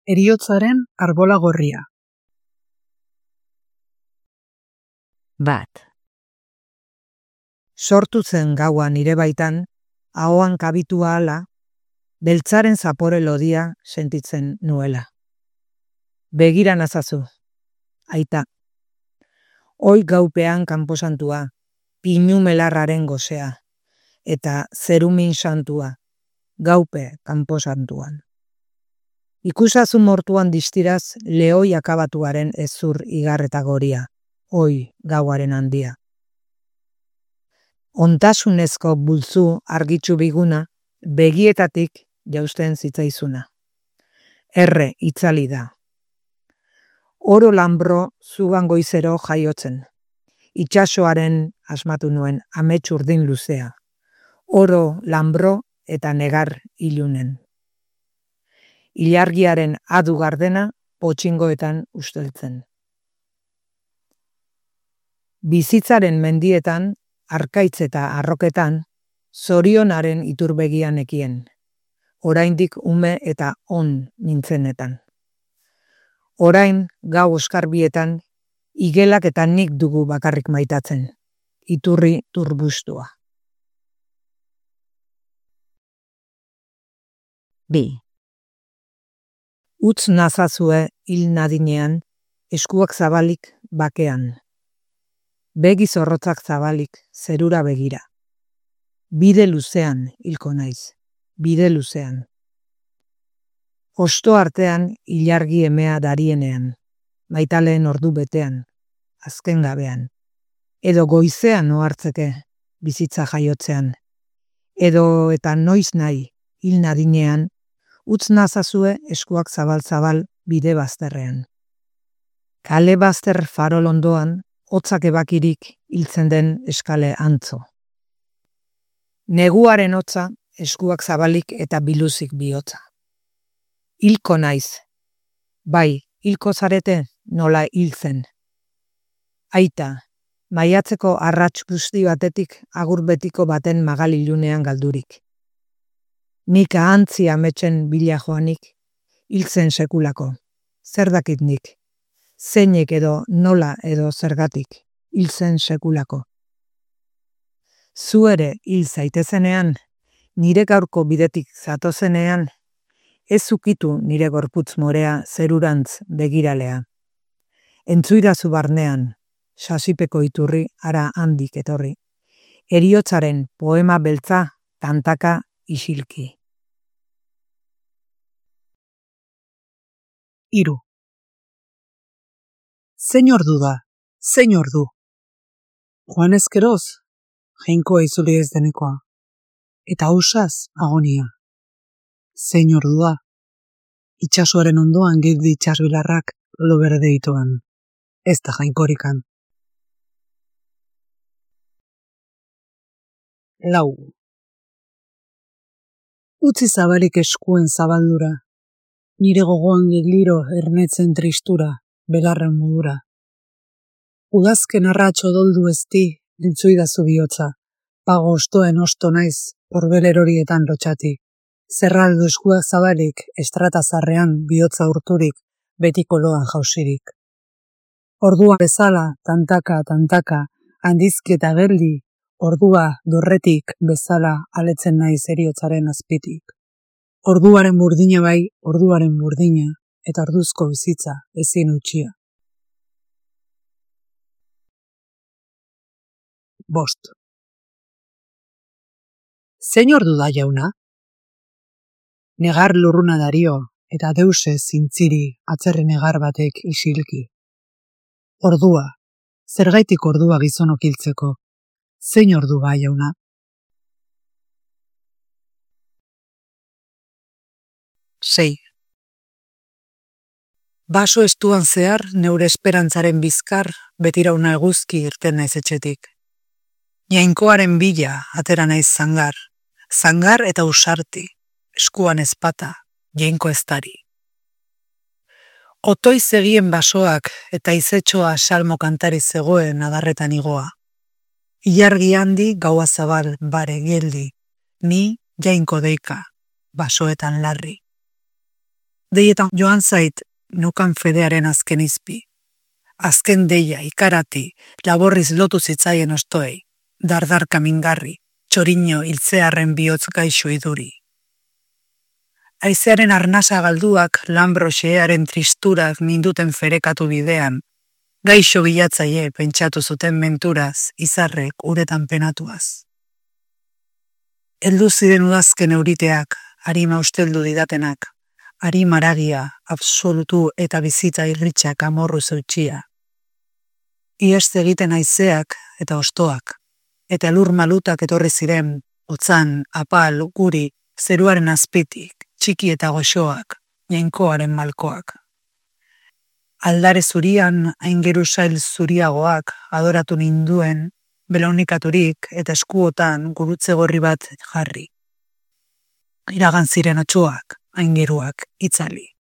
Heriotzaren arbola gorria. Bat. Sortu zen gaua nire baitan, ahoan kabitua ala, beltzaren zapore lodia sentitzen nuela. Begira nazazu, aita. Hoi gaupean kanposantua, pinu melarraren gozea, eta zerumin santua, gaupe kanposantuan. Ikusazu mortuan distiraz lehoi akabatuaren ezur igarreta goria, hoi gauaren handia. Ontasunezko bultzu argitsu biguna, begietatik jausten zitzaizuna. Erre itzali da. Oro lanbro zugan goizero jaiotzen. Itsasoaren asmatu nuen amets urdin luzea. Oro lanbro eta negar ilunen. Ilargiaren adu gardena potxingoetan usteltzen. Bizitzaren mendietan, arkaitz eta arroketan, zorionaren iturbegian ekien. Oraindik ume eta on nintzenetan. Orain gau oskarbietan, igelak eta nik dugu bakarrik maitatzen. Iturri turbustua. Bi. Utz nazazue hil nadinean, eskuak zabalik bakean. Begi zorrotzak zabalik, zerura begira. Bide luzean hilko naiz, bide luzean. Osto artean ilargi emea darienean, maitaleen ordu betean, azken gabean. Edo goizean ohartzeke, bizitza jaiotzean. Edo eta noiz nahi, hil nadinean, utz nazazue eskuak zabal-zabal bide bazterrean. Kale bazter farol ondoan, hotzak ebakirik hiltzen den eskale antzo. Neguaren hotza, eskuak zabalik eta biluzik bihotza. Hilko naiz. Bai, hilko zarete nola hiltzen. Aita, maiatzeko arrats guzti batetik agur betiko baten magalilunean galdurik. Nik ahantzi ametsen bila joanik, hiltzen sekulako. Zer dakit nik? Zeinek edo nola edo zergatik, hiltzen sekulako. Zu ere hil zaitezenean, nire gaurko bidetik zatozenean, ez ukitu nire gorputz morea zerurantz begiralea. Entzuidazu barnean, sasipeko iturri ara handik etorri. Heriotzaren poema beltza tantaka isilki. 3. Zein ordu da, zein ordu. Joan ezkeroz, jainkoa izuli ez denekoa. Eta ausaz agonia. Zein ordu da. Itsasoaren ondoan girdi itsasbilarrak lo berde itoan. Ez da jainkorikan. 4. Utzi zabalik eskuen zabaldura. Nire gogoan geliro ernetzen tristura, belarren modura. Udazken arratxo doldu ezti, dintzuidazu bihotza. Pago ostoen osto naiz, horbel horietan lotxati. Zerraldo eskuak zabalik, estratazarrean bihotza urturik, betiko loan jausirik. Ordua bezala, tantaka, handizki eta geldi, ordua dorretik bezala aletzen naiz heriotzaren azpitik. Orduaren burdina bai, orduaren burdina, eta orduzko bizitza ezin utxia. 5. Zein ordu da jauna? Negar lurruna dario, eta deuse zintziri atzerri negar batek isilki. Ordua, zergaitik ordua gizonok hiltzeko, zein ordu ba jauna? 6. Baso estuan zehar, neure esperantzaren bizkar, betirauna eguzki irten naiz etxetik. Jainkoaren bila atera naiz zangar, zangar eta usarti, eskuan ezpata, jainko eztari. Otoi zegien basoak eta izetxoa salmo kantari zegoen adarretan igoa. Ilargi handi gaua zabal bare geldi, ni jainko deika, basoetan larri. Deietan joan zait nukan fedearen azken izpi. Azken deia, ikarati, laborriz lotu zitzaien ostoei, dardarka mingarri, txorino hiltzearren bihotz gaixo iduri. Aizearen arnasa galduak Lambroxearen tristurak minduten ferekatu bidean, gaixo bilatzaile pentsatu zuten menturaz, izarrek uretan penatuaz. Heldu ziren udazken euriteak, harima usteldu didatenak, harima haragia, absolutu eta bizitza irritxak amorru zeutxia. Ieste egiten haizeak eta ostoak, eta lur malutak etorri ziren, otzan, apal, guri, zeruaren azpitik, txiki eta goxoak, jainkoaren malkoak. Aldare zurian, aingeru sail zuriagoak, adoratu ninduen, belaunikaturik eta eskuotan gurutze gorri bat jarri. Iragan ziren atxoak, aingeruak, itzali.